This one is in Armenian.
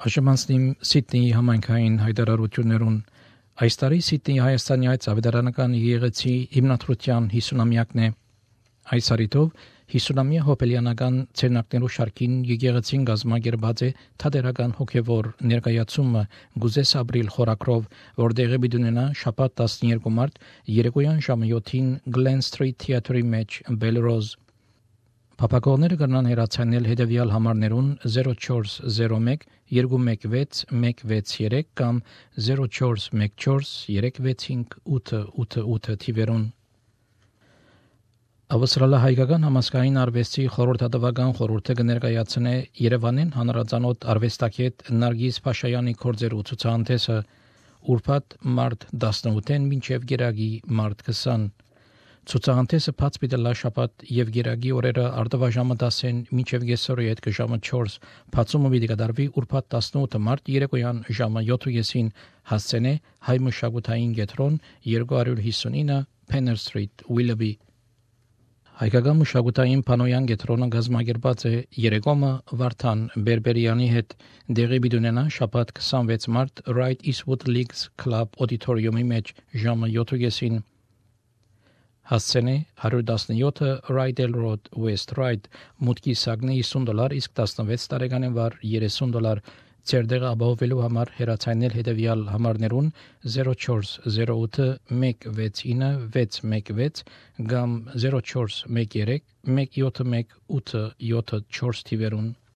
Աշմանցնիմ Սիդնեի համայնքային հայտարարություններուն այս տարի Սիդնեի Հայաստանի այց ավետարանական եկեղեցի հիմնադրության 50-ամյակն է։ Այս հարիտով 50-ամյա հոբելյանական ցերնակներու շարքին եկեղեցին գազմագերբած է թատերական հոգևոր ներկայացումը գուզես ապրիլ խորակրով, որտեղի բիդունենա շաբաթ 12 մարտ երեկոյան ժամը 7-ին Glen Street Theatre-ի մեջ Belrose Փապակողները կրնան հեռացանել հետևյալ համարներուն 0401 216 163 կամ 0414 365 888 թիվերուն Ավստրալիա հայկական համասկային արվեստի խորհրդատվական խորհուրդը կներկայացնե Երևանին հանրազանոթ արվեստագետ Նարգիս Փաշայանի կորձերու ցուցահանդեսը ուրբաթ մարտ 18-ին մինչև գերագի մարտ 20 Ցուցահանդեսը բաց պիտի շաբաթ եւ գերագի օրերը արտավաժամը 10-ին մինչև գեսորի հետ ժամը 4 բացումը պիտի կատարվի ուրբաթ 18 մարտ երեկոյան ժամը 7:30-ին հասցենե հայ մշակութային կենտրոն 259 Penner Street Willoughby Հայկական մշակութային Պանոյան կենտրոնը գազմագերբած է երեկոմը Վարդան Բերբերյանի հետ դեղի բիդունենա շաբաթ 26 մարտ Right Eastwood Leagues Club Auditorium-ի մեջ ժամը 7:30-ին Հասցենե 117 Rydell Road West Ryde մուտքի սակնի $50 իսկ 16 տարեկանին վար $30 Ցերդեղը ապահովելու համար հեռացանել հետևյալ համարներուն 0408 169 616 կամ 0413 171 874 թիվերուն